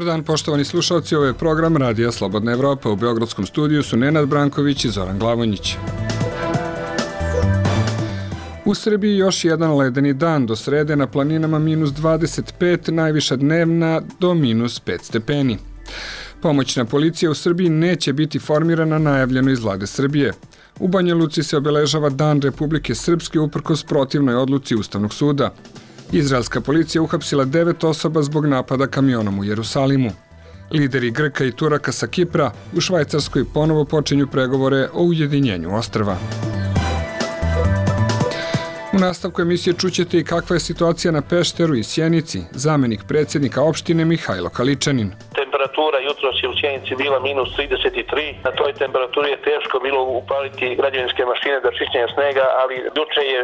dan, poštovani slušalci, ovo je program Radija Slobodna Evropa. U Beogradskom studiju su Nenad Branković i Zoran Glavonjić. U Srbiji još jedan ledeni dan, do srede na planinama minus 25, najviša dnevna do minus 5 stepeni. Pomoćna policija u Srbiji neće biti formirana, najavljeno iz vlade Srbije. U Banja Luci se obeležava Dan Republike Srpske uprkos protivnoj odluci Ustavnog suda. Izraelska policija uhapsila 9 osoba zbog napada kamionom u Jerusalimu. Lideri Grka i Turaka sa Kipra u Švajcarskoj ponovo počinju pregovore o ujedinjenju ostrva. U nastavku emisije čućete i kakva je situacija na Pešteru i Sjenici, zamenik predsjednika opštine Mihajlo Kaličanin. Temperatura jutros je u Sjenici bila minus 33, na toj temperaturi je teško bilo upaliti građevinske mašine za čišćenje snega, ali juče je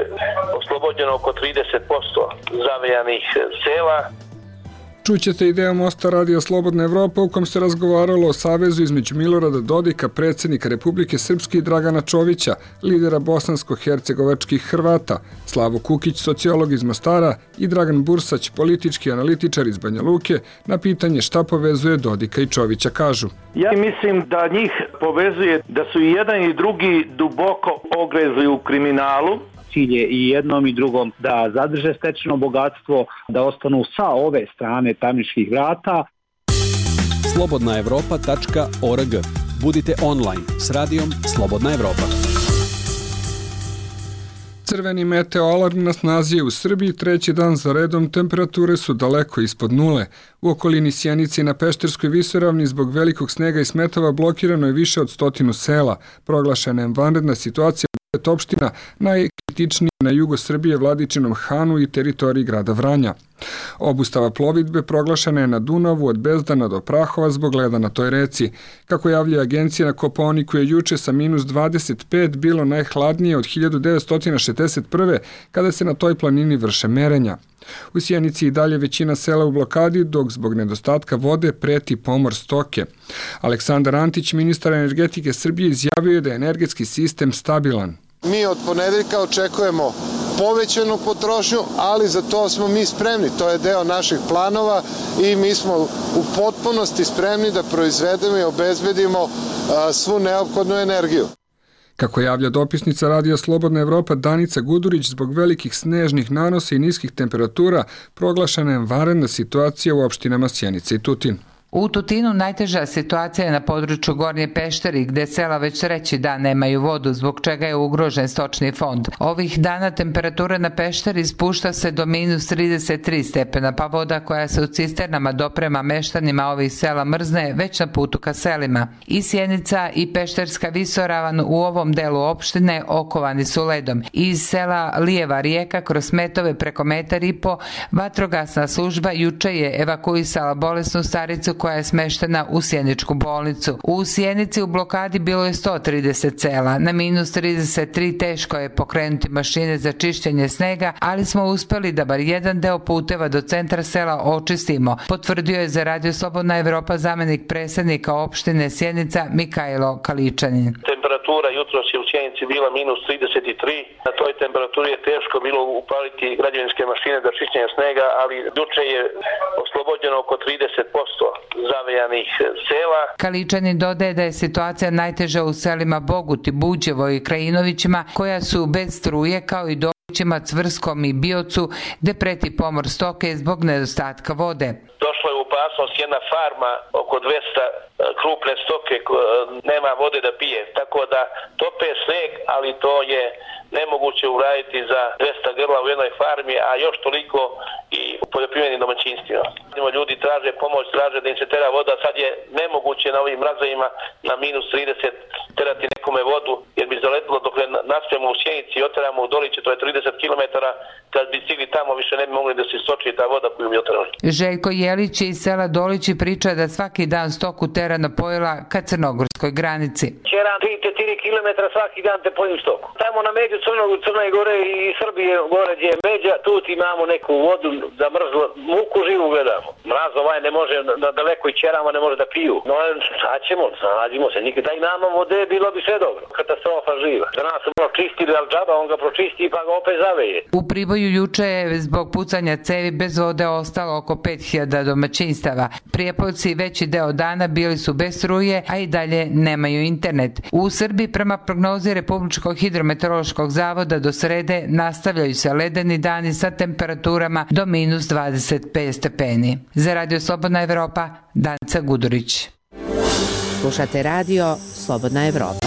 oslobođeno oko 30% zavejanih sela. Čućete i deo mosta Radija Slobodna Evropa u kom se razgovaralo o savezu između Milorada Dodika, predsjednika Republike Srpske, i Dragana Čovića, lidera bosansko-hercegovačkih Hrvata, Slavo Kukić, sociolog iz Mostara, i Dragan Bursać, politički analitičar iz Banja Luke, na pitanje šta povezuje Dodika i Čovića kažu. Ja mislim da njih povezuje da su i jedan i drugi duboko ogrezli u kriminalu. Cilj je i jednom i drugom da zadrže stečeno bogatstvo, da ostanu sa ove strane tamničkih vrata. Slobodnaevropa.org. Budite online s radijom Slobodna Evropa. Crveni meteoalarm na snazi je u Srbiji treći dan za redom, temperature su daleko ispod nule. U okolini Sjenice i na Pešterskoj visoravni zbog velikog snega i smetova blokirano je više od 100 sela. Proglašena je vanredna situacija u 9 opština, najkritičnije na jugo Srbije, Vladičinom Hanu i teritoriji grada Vranja. Obustava plovidbe proglašena je na Dunavu od Bezdana do Prahova zbog leda na toj reci. Kako javlja agencija, na Kopaoniku je juče sa minus 25 bilo najhladnije od 1961. kada se na toj planini vrše merenja. U Sjenici i dalje većina sela u blokadi, dok zbog nedostatka vode preti pomor stoke. Aleksandar Antić, ministar energetike Srbije, izjavio je da je energetski sistem stabilan. Mi od ponedeljka očekujemo povećanu potrošnju, ali za to smo mi spremni. To je deo naših planova i mi smo u potpunosti spremni da proizvedemo i obezbedimo svu neophodnu energiju. Kako javlja dopisnica Radija Slobodna Evropa Danica Gudurić, zbog velikih snežnih nanosa i niskih temperatura proglašena je vanredna situacija u opštinama Sjenica i Tutin. U Tutinu najteža situacija je na području Gornje Pešteri, gde sela već treći dan nemaju vodu, zbog čega je ugrožen stočni fond. Ovih dana temperatura na Pešteri spušta se do minus 33 stepena, pa voda koja se u cisternama doprema meštanima ovih sela mrzne već na putu ka selima. I Sjenica i Pešterska visoravan u ovom delu opštine okovani su ledom. Iz sela Lijeva rijeka kroz metove preko 1,5 m vatrogasna služba juče je evakuisala bolesnu staricu koja je smeštena u Sjeničku bolnicu. U Sjenici u blokadi bilo je 130 sela. Na minus 33 teško je pokrenuti mašine za čišćenje snega, ali smo uspeli da bar jedan deo puteva do centra sela očistimo, potvrdio je za Radio Slobodna Evropa zamenik predsjednika opštine Sjenica Mihajlo Kaličanin. Temperatura jutros je u Sjenici bila minus 33. Na toj temperaturi je teško bilo upaliti građevinske mašine za čišćenje snega, ali juče je oslobođeno oko 30% zavejanih sela. Kaličanin dodaje da je situacija najteža u selima Boguti, Buđevo i Krajinovićima, koja su bez struje, kao i Dolićima, Cvrskom i Biocu, gde preti pomor stoke zbog nedostatka vode. Došla je u opasnost jedna farma, oko 200 krupne stoke, nema vode da pije, tako da tope sneg, ali to je nemoguće uraditi za 200 grla u jednoj farmi, a još toliko i u poljoprivrednim domaćinstvima. Ljudi traže pomoć, traže da im se tera voda, sad je nemoguće na ovim mrazovima na minus 30 terati nekome vodu, jer bi zaletilo dok naspijemo u Sjenici i oteramo u Doliće, to je 30 km, kad bi stigli tamo više ne bi mogli da se istoči ta voda koju bi oterali. Željko Jelić iz sela Dolići priča da svaki dan stoku tera na pojela ka crnogorskoj granici. Čeram 3-4 km svaki dan te pojim stoku. Tamo na među Crne Gore i Srbije gore gdje je međa, tu imamo neku vodu za mrzlo, muku živu gledamo. Mraz ovaj ne može, na daleko i čerama ne može da piju. No sad ćemo, nađimo se, nikada i nama vode bilo bi sve dobro. Katastrofa živa. Za nas u pročistili, ali džaba, on ga pročisti pa ga opet zaveje. U Priboju juče je zbog pucanja cevi bez vode ostalo oko 5000 domaćinstava. Prijepolci veći deo dana bili su bez struje, a i dalje nemaju internet. U Srbiji prema prognozi Republičkog hidrometeorološkog zavoda do srede nastavljaju se ledeni dani sa temperaturama do minus 25 stepeni. Za Radio Slobodna Evropa, Danica Gudurić. Slušate radio Slobodna Evropa.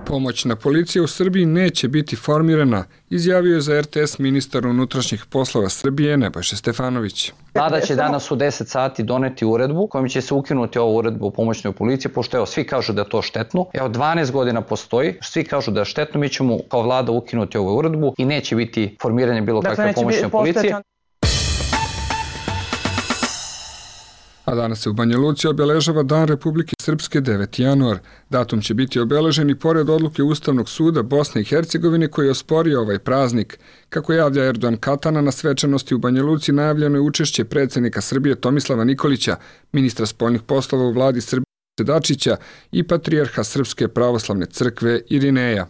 Pomoćna policija u Srbiji neće biti formirana, izjavio je za RTS ministar unutrašnjih poslova Srbije Nebojša Stefanović. Vlada će danas u 10 sati doneti uredbu kojom će se ukinuti ovu uredbu o pomoćnoj policiji, pošto svi kažu da je to štetno. 12 godina postoji, svi kažu da je štetno, mi ćemo kao vlada ukinuti ovu uredbu i neće biti formiranje bilo kakve pomoćne policije. A danas se u Banja Luci obeležava Dan Republike Srpske 9. januar. Datum će biti obeležen i pored odluke Ustavnog suda Bosne i Hercegovine koji je osporio ovaj praznik. Kako javlja Erdogan Katana, na svečanosti u Banja Luci najavljeno je učešće predsjednika Srbije Tomislava Nikolića, ministra spoljnih poslova u vladi Srbije Dačića i patrijarha Srpske pravoslavne crkve Irineja.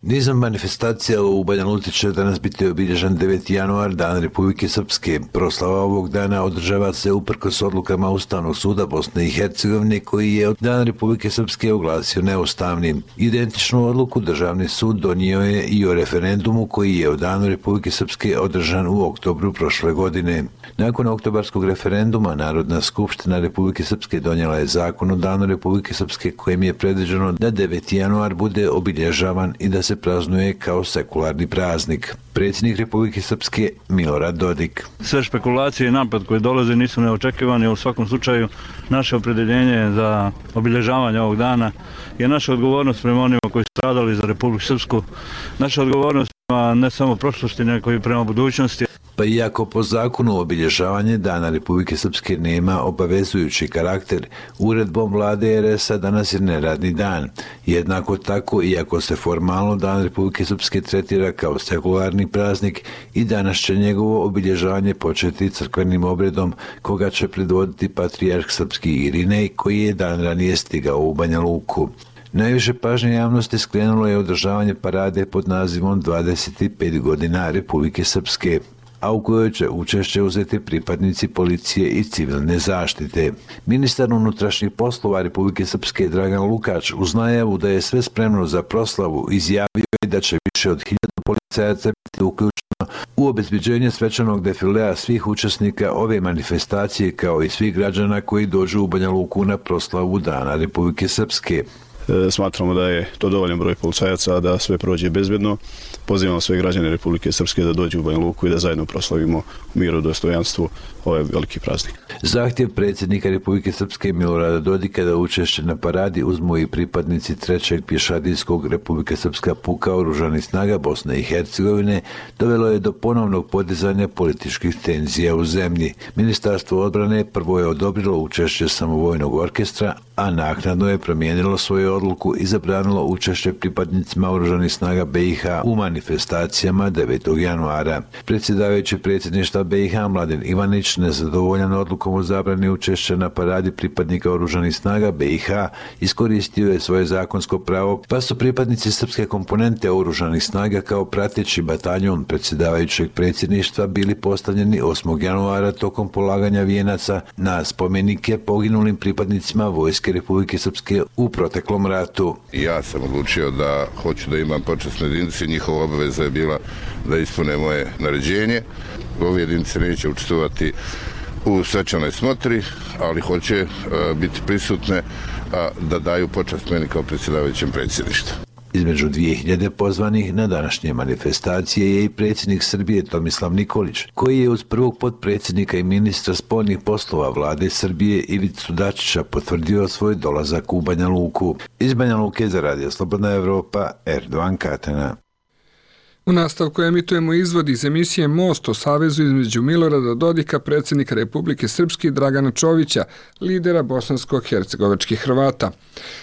Nizam manifestacija u Banja Luci će danas biti obilježen 9. januar, Dan Republike Srpske. Proslava ovog dana održava se uprkos odlukama Ustavnog suda Bosne i Hercegovine koji je Dan Republike Srpske oglasio neustavnim. Identičnu odluku Državni sud donio je i o referendumu koji je o Danu Republike Srpske održan u oktobru prošle godine. Nakon oktobarskog referenduma Narodna skupština Republike Srpske donijela je zakon o Danu Republike Srpske kojim je predviđeno da 9. januar bude obilježavan i da se praznuje kao sekularni praznik. Predsjednik Republike Srpske Milorad Dodik. Sve špekulacije i napad koje dolaze nisu neočekivani, u svakom slučaju naše opredjeljenje za obilježavanje ovog dana je naša odgovornost prema onima koji su stradali za Republiku Srpsku, naša odgovornost prema ne samo prošlosti, nego i prema budućnosti. Pa iako po zakonu obilježavanje Dana Republike Srpske nema obavezujući karakter, uredbom vlade RS-a danas je neradni dan. Jednako tako, iako se formalno Dan Republike Srpske tretira kao sekularni praznik, i danas će njegovo obilježavanje početi crkvenim obredom koga će predvoditi patrijarh srpski Irinej koji je dan ranije stigao u Banja Luku. Najviše pažnje javnosti skrenulo je održavanje parade pod nazivom 25 godina Republike Srpske, a u kojoj će učešće uzeti pripadnici policije i civilne zaštite. Ministar unutrašnjih poslova Republike Srpske Dragan Lukač uz najavu da je sve spremno za proslavu izjavio je da će više od 1000 policajaca biti uključeno u obezbeđenje svečanog defilea svih učesnika ove manifestacije kao i svih građana koji dođu u Banja Luku na proslavu Dana Republike Srpske. Smatramo da je to dovoljan broj policajaca da sve prođe bezbedno. Pozivamo sve građane Republike Srpske da dođu u Banja Luku i da zajedno proslavimo u miru i dostojanstvu ovaj veliki praznik. Zahtjev predsjednika Republike Srpske Milorada Dodika da učešće na paradi uzmu i pripadnici 3. pješadijskog Republike Srpska puka oružanih snaga Bosne i Hercegovine dovelo je do ponovnog podizanja političkih tenzija u zemlji. Ministarstvo odbrane prvo je odobrilo učešće samovojnog orkestra, a naknadno je promijenilo svoju odluku i zabranilo učešće pripadnicima oružanih snaga BiH u manifestacijama 9. januara. Predsjedavajući predsjedništva BiH Mladen Ivanić, nezadovoljan odlukom o zabrani učešća na paradi pripadnika oružanih snaga BiH, iskoristio je svoje zakonsko pravo, pa su pripadnici srpske komponente oružanih snaga kao prateći bataljon predsjedavajućeg predsjedništva bili postavljeni 8. januara tokom polaganja vijenaca na spomenike poginulim pripadnicima Vojske Republike Srpske u proteklom ratu. Ja sam odlučio da hoću da imam počasne jedinice, njihova obaveza je bila da ispune moje naređenje. Ove jedinice neće učestvovati u svečanoj smotri, ali hoće biti prisutne da daju počast meni kao predsjedavajućem predsjedništva. Između 2000 pozvanih na današnje manifestacije je i predsjednik Srbije Tomislav Nikolić, koji je uz prvog potpredsjednika i ministra spoljnih poslova vlade Srbije Ivicu Dačića potvrdio svoj dolazak u Banja Luku. Iz Banja Luke za Radio Slobodna Evropa, Erdogan Katana. U nastavku emitujemo izvod iz emisije Most o savezu između Milorada Dodika, predsjednika Republike Srpske i Dragana Čovića, lidera bosansko-hercegovačkih Hrvata.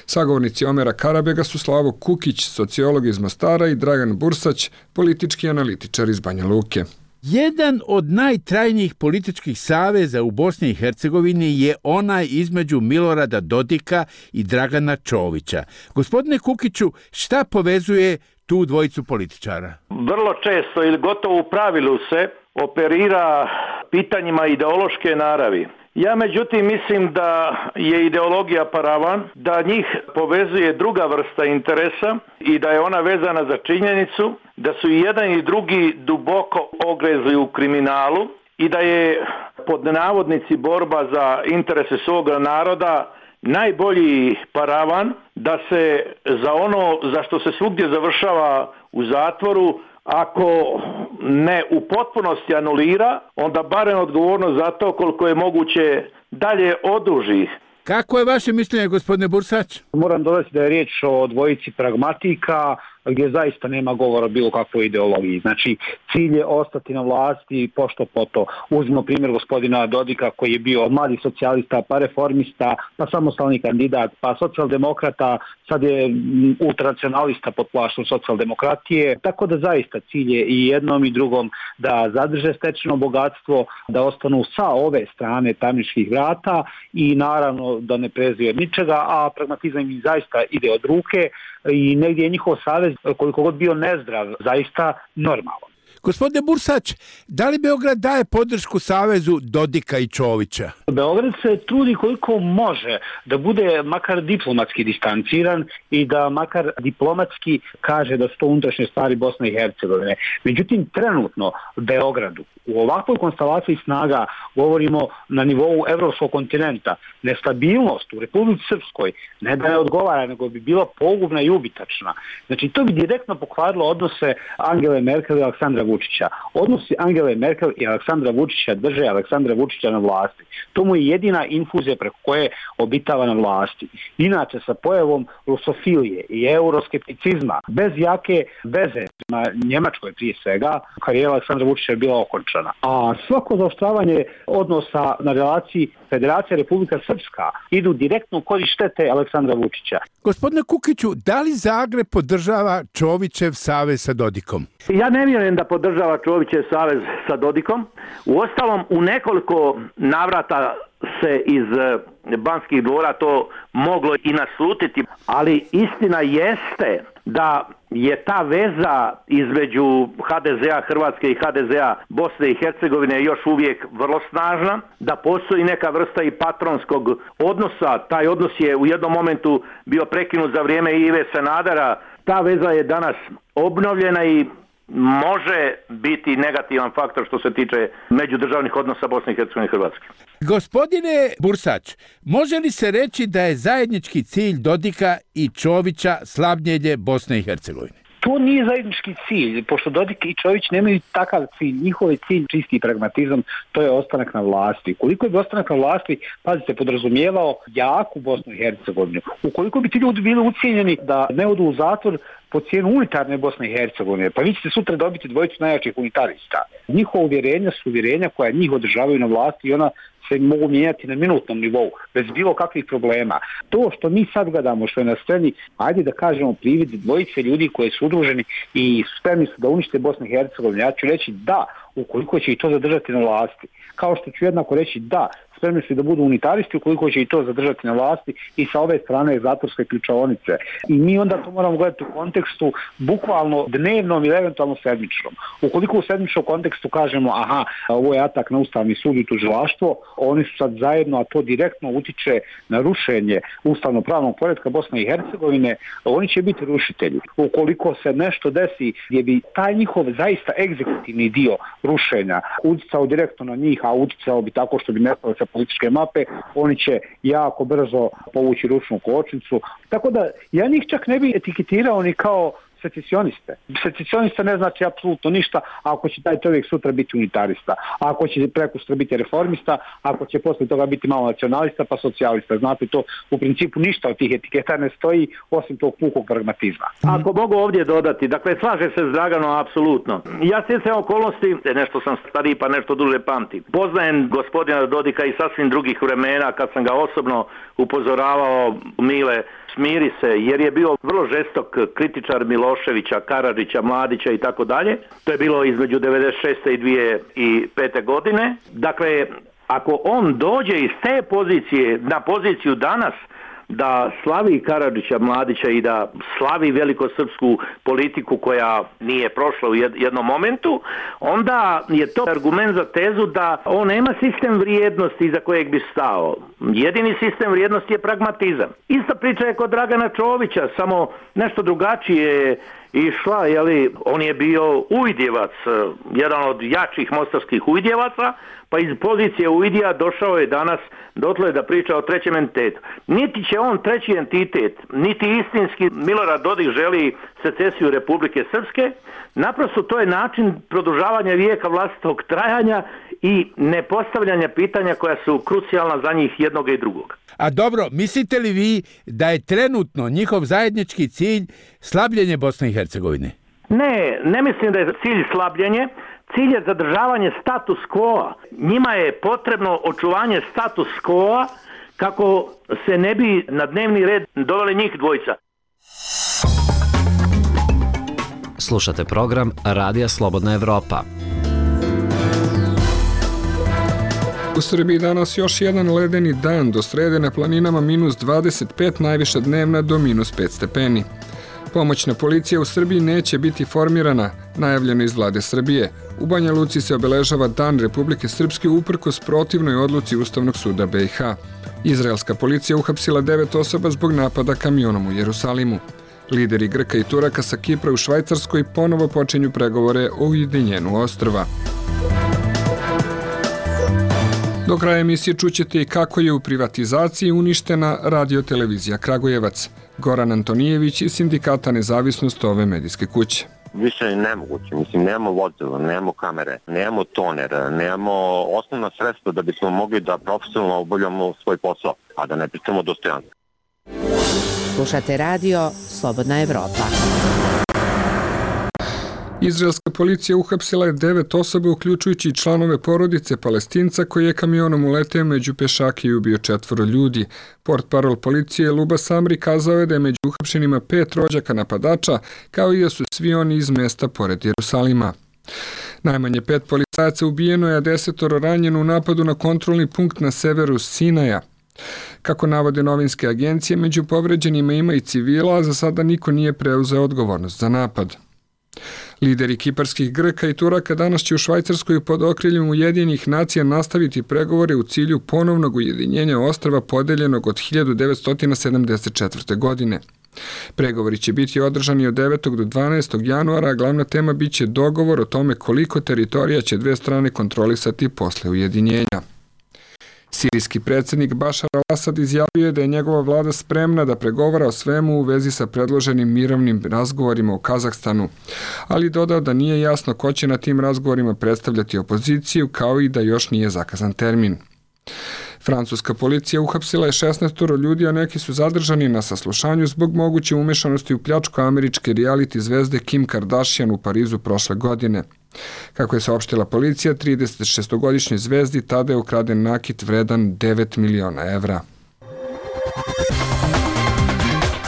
Sagovornici Omera Karabega su Slavo Kukić, sociolog iz Mostara, i Dragan Bursać, politički analitičar iz Banja Luke. Jedan od najtrajnijih političkih saveza u Bosni i Hercegovini je onaj između Milorada Dodika i Dragana Čovića. Gospodine Kukiću, šta povezuje tu dvojicu političara? Vrlo često ili gotovo u pravilu se operira pitanjima ideološke naravi. Ja međutim mislim da je ideologija paravan, da njih povezuje druga vrsta interesa i da je ona vezana za činjenicu da su i jedan i drugi duboko ogrezli u kriminalu i da je pod navodnici borba za interese svoga naroda najbolji paravan da se za ono za što se svugdje završava u zatvoru, ako ne u potpunosti anulira, onda barem odgovornost za to koliko je moguće dalje oduži. Kako je vaše mišljenje, gospodine Bursać? Moram dodati da je riječ o dvojici pragmatika gdje zaista nema govora o bilo kakvoj ideologiji. Znači, cilj je ostati na vlasti pošto poto. Uzmimo primjer gospodina Dodika koji je bio mladi socijalista, pa reformista, pa samostalni kandidat, pa socijaldemokrata, sad je ultranacionalista pod plaštom socijaldemokratije. Tako da zaista cilj je i jednom i drugom da zadrže stečeno bogatstvo, da ostanu sa ove strane tamničkih vrata i naravno da ne preziju od ničega, a pragmatizam im zaista ide od ruke i negdje je njihov savez, koliko god bio nezdrav, zaista normalan. Gospodine Bursać, da li Beograd daje podršku savezu Dodika i Čovića? Beograd se trudi koliko može da bude makar diplomatski distanciran i da makar diplomatski kaže da su to unutrašnje stvari Bosne i Hercegovine. Međutim, trenutno Beogradu u ovakvoj konstelaciji snaga, govorimo na nivou evropskog kontinenta, nestabilnost u Republici Srpskoj ne da je odgovara, nego bi bila pogubna i ubitačna. Znači, to bi direktno pokvarilo odnose Angele Merkel i Aleksandra Vučića. Odnosi Angele Merkel i Aleksandra Vučića drže Aleksandra Vučića na vlasti. To mu je jedina infuzija preko koje obitava na vlasti. Inače, sa pojavom rusofilije i euroskepticizma, bez jake veze na Njemačkoj prije svega, karijera Aleksandra Vučića je bila okončana. A svako zaoštravanje odnosa na relaciji Federacija Republika Srpska idu direktno u korist štete Aleksandra Vučića. Gospodine Kukiću, da li Zagreb podržava Čovićev savez sa Dodikom? Ja ne vjerujem da podržava Čovićev savez sa Dodikom. Uostalom, u nekoliko navrata se iz Banskih dvora to moglo i naslutiti, ali istina jeste da je ta veza između HDZ-a Hrvatske i HDZ-a Bosne i Hercegovine još uvijek vrlo snažna, da postoji neka vrsta i patronskog odnosa. Taj odnos je u jednom momentu bio prekinut za vrijeme Ive Sanadera. Ta veza je danas obnovljena i može biti negativan faktor što se tiče međudržavnih odnosa Bosne i Hercegovine i Hrvatske. Gospodine Bursać, može li se reći da je zajednički cilj Dodika i Čovića slabljenje Bosne i Hercegovine? To nije zajednički cilj, pošto Dodik i Čović nemaju takav cilj. Njihov je cilj čisti pragmatizam, to je ostanak na vlasti. Koliko bi ostanak na vlasti, pazite, podrazumijevao jaku Bosnu i Hercegovinu. Ukoliko bi ti ljudi bili ucijenjeni da ne odu u zatvor po cijenu unitarne Bosne i Hercegovine, pa vi ćete sutra dobiti dvojicu najjačih unitarista. Njihova uvjerenja su uvjerenja koja njih održavaju na vlasti i ona se mogu mijenjati na minutnom nivou, bez bilo kakvih problema. To što mi sad gledamo, što je na sceni, ajde da kažemo privid dvojice ljudi koji su udruženi i spremni su da unište Bosnu i Hercegovinu. Ja ću reći da, ukoliko će i to zadržati na vlasti. Kao što ću jednako reći da, spremni su da budu unitaristi ukoliko će i to zadržati na vlasti i sa ove strane zatvorske ključaonice. I mi onda to moramo gledati u kontekstu bukvalno dnevnom ili eventualno sedmičnom. Ukoliko u sedmičnom kontekstu kažemo aha, ovo je atak na Ustavni sud i tužilaštvo, oni su sad zajedno, a to direktno utiče na rušenje ustavno-pravnog poretka Bosne i Hercegovine, oni će biti rušitelji. Ukoliko se nešto desi gdje bi taj njihov zaista egzekutivni dio rušenja uticao direktno na njih, a uticao bi tako što bi nestalo sa političke mape, oni će jako brzo povući ručnu kočnicu. Tako da ja njih čak ne bi etiketirao ni kao secesioniste. Secesionista ne znači apsolutno ništa ako će taj čovjek sutra biti unitarista, ako će prekosutra biti reformista, ako će poslije toga biti malo nacionalista pa socijalista. Znate, to u principu ništa od tih etiketa ne stoji osim tog pukog pragmatizma. Ako mogu ovdje dodati, dakle slaže se s Draganom apsolutno. Ja stjecajem okolnosti, nešto sam stariji pa nešto duže pamtim. Poznajem gospodina Dodika i sasvim drugih vremena kad sam ga osobno upozoravao, Mile, smiri se, jer je bio vrlo žestok kritičar Miloševića Miloševića, Karadžića, Mladića i tako dalje. To je bilo između 96. i 2005. godine. Dakle, ako on dođe iz te pozicije na poziciju danas da slavi Karadžića, Mladića i da slavi velikosrpsku politiku koja nije prošla u jednom momentu, onda je to argument za tezu da on nema sistem vrijednosti iza kojeg bi stao. Jedini sistem vrijednosti je pragmatizam. Ista priča je kod Dragana Čovića, samo nešto drugačije išla, on je bio uvidjevac, jedan od jačih mostarskih uvidjevaca, pa iz pozicije uvidija došao je danas dotle da priča o trećem entitetu. Niti će on treći entitet, niti istinski Milorad Dodik želi secesiju Republike Srpske, naprosto to je način produžavanja vijeka vlastitog trajanja i nepostavljanja pitanja koja su krucijalna za njih jednog i drugog. A dobro, mislite li vi da je trenutno njihov zajednički cilj slabljenje Bosne i Hercegovine? Ne mislim da je cilj slabljenje. Cilj je zadržavanje status quo-a. Njima je potrebno očuvanje status quo-a kako se ne bi na dnevni red doveli njih dvojica. Slušate program Radija Slobodna Evropa. U Srbiji danas još jedan ledeni dan, do srede na planinama minus 25, najviša dnevna do minus 5 stepeni. Pomoćna policija u Srbiji neće biti formirana, najavljeno iz vlade Srbije. U Banja Luci se obeležava Dan Republike Srpske uprkos protivnoj odluci Ustavnog suda BiH. Izraelska policija uhapsila 9 osoba zbog napada kamionom u Jerusalimu. Lideri Grka i Turaka sa Kipra u Švajcarskoj ponovo počinju pregovore o ujedinjenju ostrva. Do kraja emisije čućete i kako je u privatizaciji uništena radiotelevizija Kragujevac. Goran Antonijević iz Sindikata Nezavisnost ove medijske kuće. Više je nemoguće, nemamo vozila, nemamo kamere, nemamo toner, nemamo osnovna sredstva da bismo mogli da profesionalno obavljamo svoj posao, a da ne pričamo dostojanstvo. Slušate radio Slobodna Evropa. Izraelska policija uhapsila je 9 osoba, uključujući i članove porodice Palestinca koji je kamionom uleteo među pešake i ubio 4 ljudi. Portparol policije Luba Samri kazao je da je među uhapšenima 5 rođaka napadača, kao i da su svi oni iz mesta pored Jerusalima. Najmanje 5 policajaca ubijeno je, a 10 ranjeno u napadu na kontrolni punkt na severu Sinaja. Kako navode novinske agencije, među povređenima ima i civila, a za sada niko nije preuzeo odgovornost za napad. Lideri kiparskih Grka i Turaka danas će u Švajcarskoj pod okriljem Ujedinjenih nacija nastaviti pregovore u cilju ponovnog ujedinjenja ostrva podeljenog od 1974. godine. Pregovori će biti održani od 9. do 12. januara, a glavna tema biće dogovor o tome koliko teritorija će dve strane kontrolisati posle ujedinjenja. Sirijski predsjednik Bašar al-Asad izjavio je da je njegova vlada spremna da pregovara o svemu u vezi sa predloženim mirovnim razgovorima u Kazahstanu, ali dodao da nije jasno ko će na tim razgovorima predstavljati opoziciju, kao i da još nije zakazan termin. Francuska policija uhapsila je 16 ljudi, a neki su zadržani na saslušanju zbog moguće umešanosti u pljačku američke reality zvezde Kim Kardashian u Parizu prošle godine. Kako je saopštila policija, 36-godišnjoj zvezdi tada je ukraden nakit vredan 9 miliona evra.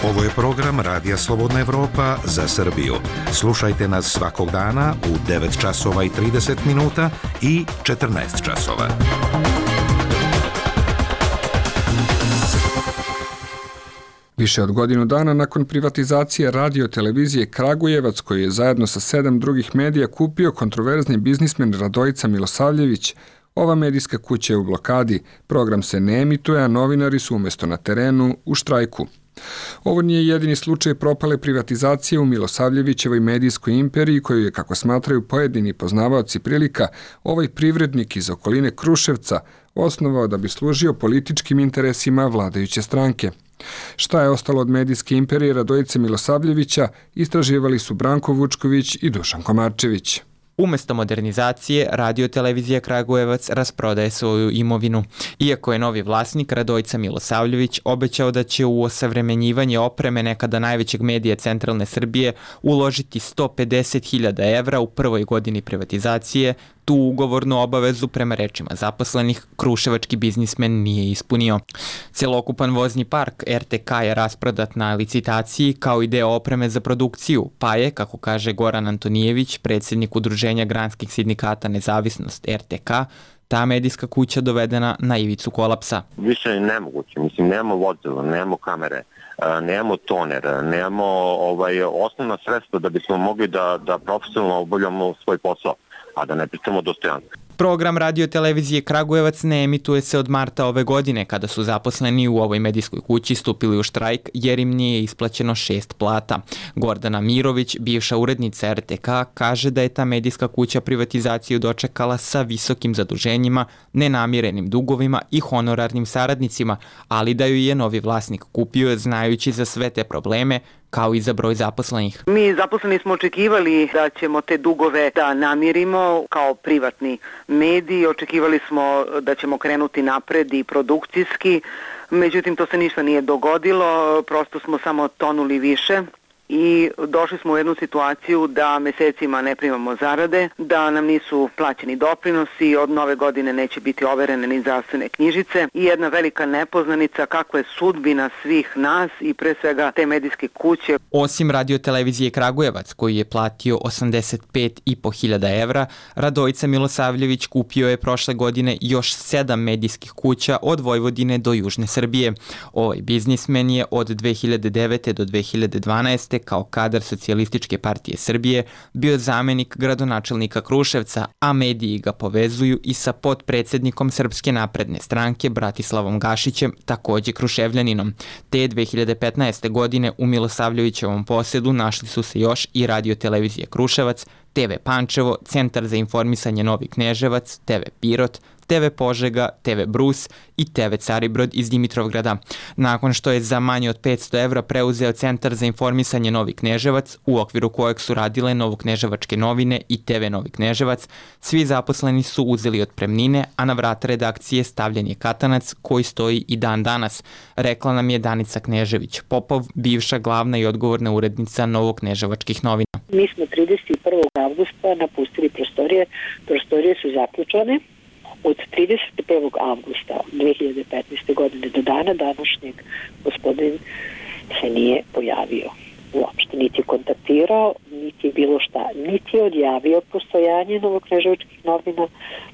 Ovo je program Radija Slobodna Evropa za Srbiju. Slušajte nas svakog dana u 9 časova i 30 minuta i 14 časova. Više od godinu dana nakon privatizacije radiotelevizije Kragujevac, koji je zajedno sa 7 drugih medija kupio kontroverzni biznismen Radojica Milosavljević, ova medijska kuća je u blokadi, program se ne emituje, a novinari su umjesto na terenu u štrajku. Ovo nije jedini slučaj propale privatizacije u Milosavljevićevoj medijskoj imperiji koju je, kako smatraju pojedini poznavaoci prilika, ovaj privrednik iz okoline Kruševca osnovao da bi služio političkim interesima vladajuće stranke. Šta je ostalo od medijske imperije Radojice Milosavljevića, istraživali su Branko Vučković i Dušan Komarčević. Umesto modernizacije, radiotelevizija Kragujevac rasprodaje svoju imovinu. Iako je novi vlasnik Radojica Milosavljević obećao da će u osavremenjivanje opreme nekada najvećeg medija centralne Srbije uložiti 150.000 evra u prvoj godini privatizacije, Tu ugovornu obavezu prema rečima zaposlenih kruševački biznismen nije ispunio. Celokupan vozni park RTK je rasprodat na licitaciji kao i deo opreme za produkciju, pa je, kako kaže Goran Antonijević, predsjednik Udruženja granskih sindikata Nezavisnost RTK, ta medijska kuća dovedena na ivicu kolapsa. Više je nemoguće, mislim, nemamo vozila, nemamo kamere, nemamo toner, nemamo osnovna sredstva da bismo mogli da profesionalno obavljamo svoj posao, a da ne pričamo dostojanstvo. Program radiotelevizije Kragujevac ne emituje se od marta ove godine, kada su zaposleni u ovoj medijskoj kući stupili u štrajk jer im nije isplaćeno 6 plata. Gordana Mirović, bivša urednica RTK, kaže da je ta medijska kuća privatizaciju dočekala sa visokim zaduženjima, nenamirenim dugovima i honorarnim saradnicima, ali da ju je novi vlasnik kupio znajući za sve te probleme, kao i za broj zaposlenih. Mi zaposleni smo očekivali da ćemo te dugove da namirimo kao privatni mediji, očekivali smo da ćemo krenuti napred i produkcijski, međutim to se ništa nije dogodilo, prosto smo samo tonuli više i došli smo u jednu situaciju da mesecima ne primamo zarade, da nam nisu plaćeni doprinosi, od nove godine neće biti overene ni zdravstvene knjižice i jedna velika nepoznanica kakva je sudbina svih nas i pre svega te medijske kuće. Osim radiotelevizije Kragujevac, koji je platio 85.500 evra, Radojica Milosavljević kupio je prošle godine još 7 medijskih kuća od Vojvodine do Južne Srbije. Ovaj biznismen je od 2009. do 2012. kao kadar Socijalističke partije Srbije bio zamenik gradonačelnika Kruševca, a mediji ga povezuju i sa potpredsjednikom Srpske napredne stranke Bratislavom Gašićem, takođe Kruševljaninom. Te 2015. godine u Milosavljevićevom posjedu našli su se još i radiotelevizije Kruševac, TV Pančevo, Centar za informisanje Novi Kneževac, TV Pirot, TV Požega, TV Brus i TV Caribrod iz Dimitrovgrada. Nakon što je za manje od 500 evra preuzeo Centar za informisanje Novi Kneževac, u okviru kojeg su radile Novokneževačke novine i TV Novi Kneževac, svi zaposleni su uzeli otpremnine, a na vrata redakcije stavljen je katanac koji stoji i dan danas, rekla nam je Danica Knežević-Popov, bivša glavna i odgovorna urednica Novokneževačkih novina. Mi smo 31. avgusta napustili prostorije su zaključane. Od 31. avgusta 2015. godine do dana današnjeg gospodin se nije pojavio uopšte, niti je kontaktirao, niti je bilo šta, niti je odjavio postojanje Novokneževačkih novina,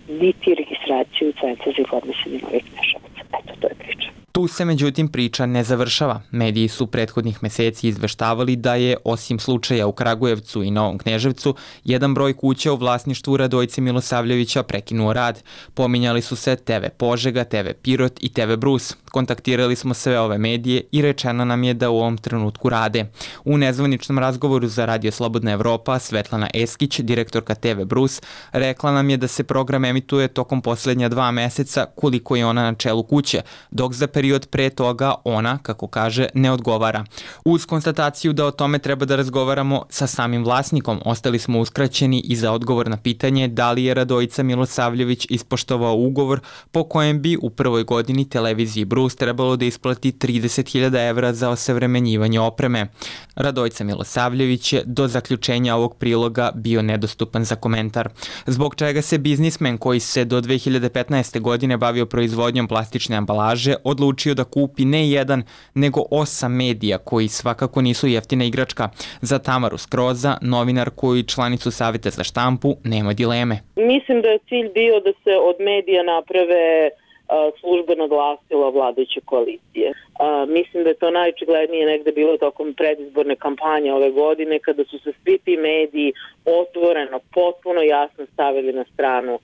niti registraciju Centra za informisanje Novih Kneževaca. Eto, to je priča. Tu se međutim priča ne završava. Mediji su prethodnih meseci izveštavali da je, osim slučaja u Kragujevcu i Novom Kneževcu, jedan broj kuća u vlasništvu Radojice Milosavljevića prekinuo rad. Pominjali su se TV Požega, TV Pirot i TV Brus. Kontaktirali smo sve ove medije i rečeno nam je da u ovom trenutku rade. U nezvaničnom razgovoru za Radio Slobodna Evropa Svetlana Eskić, direktorka TV Brus, rekla nam je da se program emituje tokom posljednja 2 meseca koliko je ona na čelu kuće, dok za period pre toga ona, kako kaže, ne odgovara. Uz konstataciju da o tome treba da razgovaramo sa samim vlasnikom, ostali smo uskraćeni i za odgovor na pitanje da li je Radojica Milosavljević ispoštovao ugovor po kojem bi u prvoj godini televiziji Brus trebalo da isplati 30.000 evra za osavremenjivanje opreme. Radojica Milosavljević je do zaključenja ovog priloga bio nedostupan za komentar. Zbog čega se biznismen koji se do 2015. godine bavio proizvodnjom plastične ambalaže odlučio da kupi ne jedan, nego 8 medija koji svakako nisu jeftina igračka. Za Tamaru Skroza, novinarku i članicu Saveta za štampu, nema dileme. Mislim da je cilj bio da se od medija naprave službeno glasilo vladajuće koalicije. Mislim da je to najočiglednije negde bilo tokom predizborne kampanje ove godine, kada su se svi ti mediji otvoreno, potpuno jasno stavili na stranu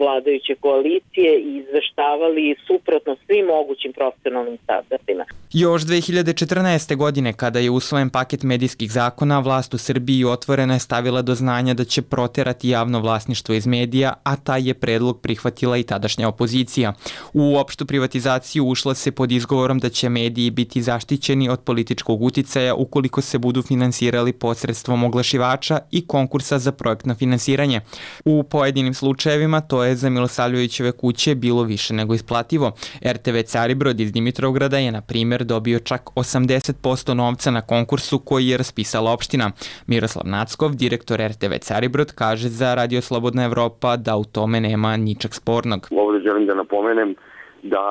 vladajuće koalicije i izveštavali suprotno svim mogućim profesionalnim standardima. Još 2014. godine, kada je usvojen paket medijskih zakona, vlast u Srbiji otvoreno je stavila do znanja da će proterati javno vlasništvo iz medija, a taj je predlog prihvatila i tadašnja opozicija. U opštu privatizaciju ušla se pod izgovorom da će mediji biti zaštićeni od političkog uticaja ukoliko se budu finansirali posredstvom oglašivača i konkursa za projektno finansiranje. U pojedinim slučajevima to je za Milosavljevićeve kuće bilo više nego isplativo. RTV Caribrod iz Dimitrovgrada je, na primjer, dobio čak 80% novca na konkursu koji je raspisala opština. Miroslav Nackov, direktor RTV Caribrod, kaže za Radio Slobodna Evropa da u tome nema ničeg spornog. Ovdje želim da napomenem da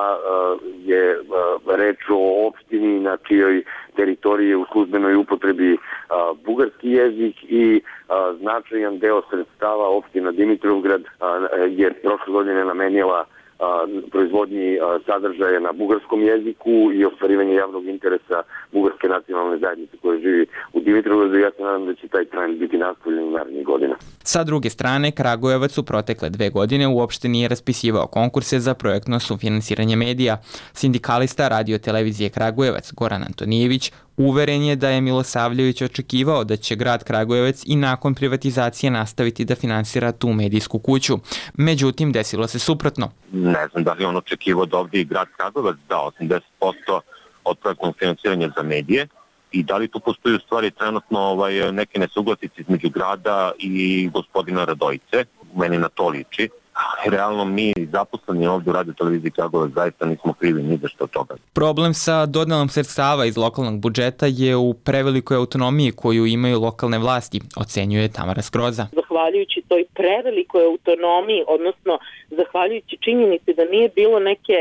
je reč o opštini na čijoj teritoriji je u službenoj upotrebi bugarski jezik i značajan deo sredstava opština Dimitrovgrad je prošle godine namenila proizvodnji sadržaja na bugarskom jeziku i ostvarivanje javnog interesa bugarske nacionalne zajednice koje živi u Dimitrovgradu. Ja se nadam da će taj trend biti nastavljen narednih godina. Sa druge strane, Kragujevac u protekle 2 godine uopšte nije raspisivao konkurse za projektno sufinansiranje medija. Sindikalista Radio televizije Kragujevac Goran Antonijević uveren je da je Milosavljević očekivao da će grad Kragujevac i nakon privatizacije nastaviti da finansira tu medijsku kuću. Međutim, desilo se suprotno. Ne znam da li on očekivao da ovdje i grad Kragujevac da 80% od projektnog finansiranja za medije i da li tu postoji u stvari trenutno neke nesuglasice između grada i gospodina Radojice. Meni na to liči. Realno mi zaposleni ovdje u Radio televiziji Kragujevac zaista nismo krivi ni za što od toga. Problem sa dodelom sredstava iz lokalnog budžeta je u prevelikoj autonomiji koju imaju lokalne vlasti, ocenjuje Tamara Skroza. Zahvaljujući toj prevelikoj autonomiji, odnosno zahvaljujući činjenici da nije bilo neke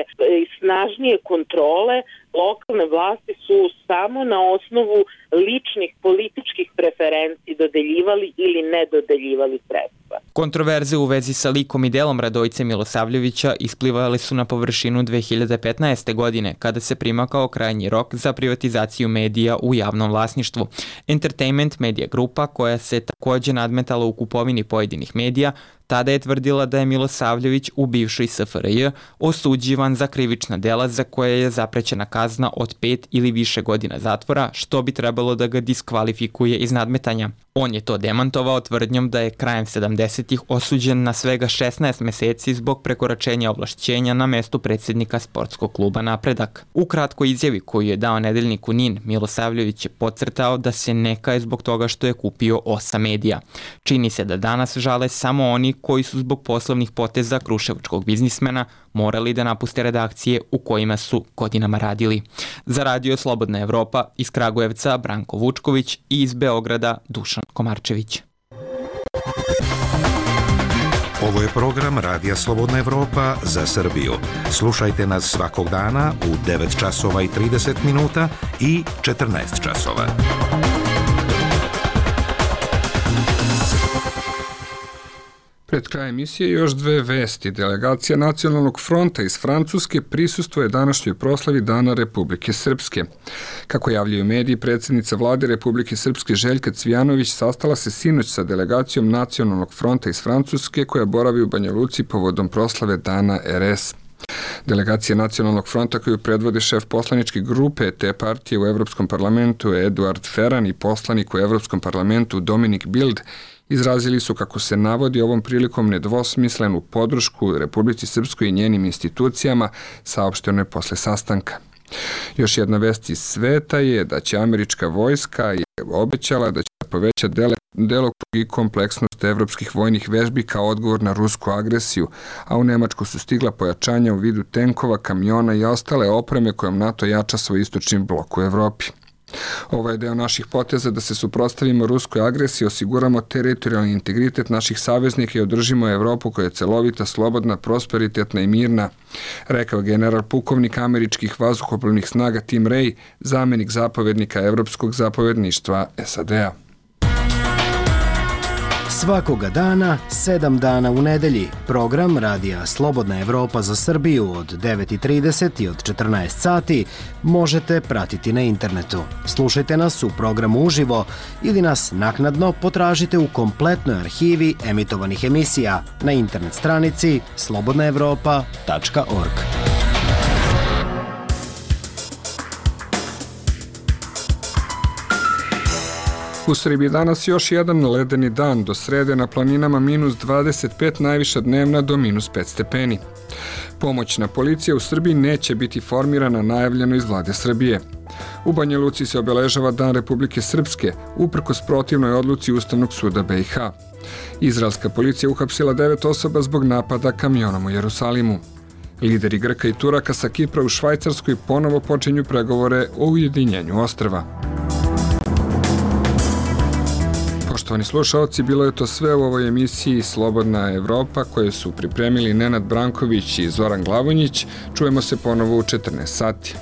snažnije kontrole, lokalne vlasti su samo na osnovu ličnih političkih preferenciji dodeljivali ili ne dodeljivali sredstva. Kontroverze u vezi sa likom i delom Radojice Milosavljevića isplivale su na površinu 2015. godine, kada se primakao krajnji rok za privatizaciju medija u javnom vlasništvu. Entertainment Media Grupa, koja se takođe nadmetala u kupovini pojedinih medija, tada je tvrdila da je Milosavljević u bivšoj SFRJ osuđivan za krivična dela za koje je zaprećena kazna od 5 ili više godina zatvora, što bi trebalo da ga diskvalifikuje iz nadmetanja. On je to demantovao tvrdnjom da je krajem 70-ih osuđen na svega 16 meseci zbog prekoračenja ovlašćenja na mestu predsjednika sportskog kluba Napredak. U kratkoj izjavi koju je dao nedeljniku NIN, Milosavljević je podcrtao da se ne kaje zbog toga što je kupio 8 medija. Čini se da danas žale samo oni koji su zbog poslovnih poteza kruševačkog biznismena morali da napuste redakcije u kojima su godinama radili. Za Radio Slobodna Evropa iz Kragujevca Branko Vučković i iz Beograda Dušan Komarčević. Ovo je program Radija Slobodna Evropa za Srbiju. Slušajte nas svakog dana u 9 časova i 30 minuta i 14 časova. Pred kraj emisije još 2 vesti. Delegacija Nacionalnog fronta iz Francuske prisustvuje današnjoj proslavi Dana Republike Srpske. Kako javljaju mediji, predsjednica vlade Republike Srpske Željka Cvijanović sastala se sinoć sa delegacijom Nacionalnog fronta iz Francuske koja boravi u Banja Luci povodom proslave Dana RS. Delegacija Nacionalnog fronta koju predvode šef poslaničke grupe te partije u Evropskom parlamentu Eduard Ferran i poslanik u Evropskom parlamentu Dominik Bild izrazili su, kako se navodi, ovom prilikom nedvosmislenu podršku Republici Srpskoj i njenim institucijama, saopšteno je posle sastanka. Još jedna vest iz sveta je da će američka vojska obećala da će poveća delokrug i kompleksnost evropskih vojnih vežbi kao odgovor na rusku agresiju, a u Nemačku su stigla pojačanja u vidu tenkova, kamiona i ostale opreme kojom NATO jača svoj istočni blok u Evropi. Ovo je deo naših poteza da se suprotstavimo ruskoj agresiji, osiguramo teritorijalni integritet naših saveznika i održimo Evropu koja je celovita, slobodna, prosperitetna i mirna, rekao general pukovnik američkih vazduhoplovnih snaga Tim Ray, zamenik zapovednika Evropskog zapovedništva SAD-a. Svakoga dana, 7 dana u nedelji, program Radija Slobodna Evropa za Srbiju od 9:30 i od 14 sati možete pratiti na internetu. Slušajte nas u programu uživo ili nas naknadno potražite u kompletnoj arhivi emitovanih emisija na internet stranici slobodnaevropa.org. U Srbiji danas još jedan ledeni dan, do srede na planinama -25, najviša dnevna do -5 stepeni. Pomoćna policija u Srbiji neće biti formirana, najavljeno iz vlade Srbije. U Banja Luci se obeležava Dan Republike Srpske, uprkos protivnoj odluci Ustavnog suda BiH. Izraelska policija uhapsila 9 osoba zbog napada kamionom u Jerusalimu. Lideri Grka i Turaka sa Kipra u Švajcarskoj ponovo počinju pregovore o ujedinjenju ostrva. Poštovani slušaoci, bilo je to sve u ovoj emisiji Slobodna Evropa koje su pripremili Nenad Branković i Zoran Glavonjić. Čujemo se ponovo u 14 sati.